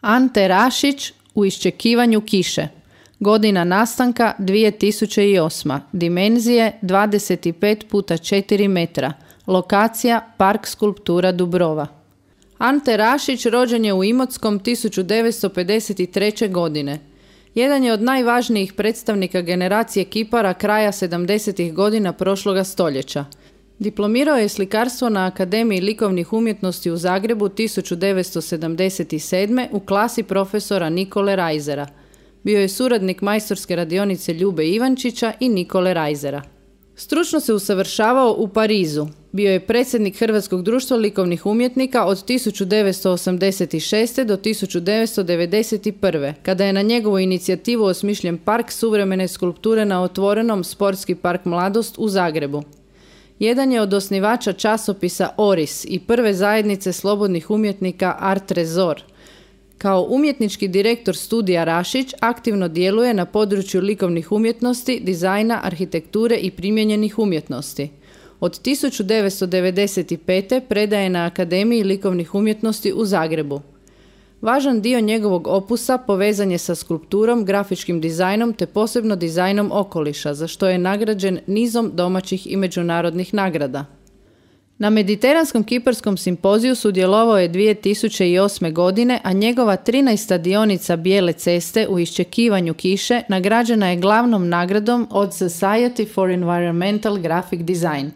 Ante Rašić u iščekivanju kiše. Godina nastanka 2008. Dimenzije 25x4 metra. Lokacija Park skulptura Dubrova. Ante Rašić rođen je u Imotskom 1953. godine. Jedan je od najvažnijih predstavnika generacije kipara kraja 70. godina prošloga stoljeća. Diplomirao je slikarstvo na Akademiji likovnih umjetnosti u Zagrebu 1977. u klasi profesora Nikole Rajzera. Bio je suradnik majstorske radionice Ljube Ivančića i Nikole Rajzera. Stručno se usavršavao u Parizu. Bio je predsjednik Hrvatskog društva likovnih umjetnika od 1986. do 1991. kada je na njegovu inicijativu osmišljen park suvremene skulpture na otvorenom Sportski park Mladost u Zagrebu. Jedan je od osnivača časopisa Oris i prve zajednice slobodnih umjetnika Art Trezor. Kao umjetnički direktor studija Rašić aktivno djeluje na području likovnih umjetnosti, dizajna, arhitekture i primijenjenih umjetnosti. Od 1995. predaje na Akademiji likovnih umjetnosti u Zagrebu. Važan dio njegovog opusa povezan je sa skulpturom, grafičkim dizajnom te posebno dizajnom okoliša, za što je nagrađen nizom domaćih i međunarodnih nagrada. Na Mediteranskom kiparskom simpoziju sudjelovao je 2008. godine, a njegova 13. dionica Bijele ceste u iščekivanju kiše nagrađena je glavnom nagradom od Society for Environmental Graphic Design.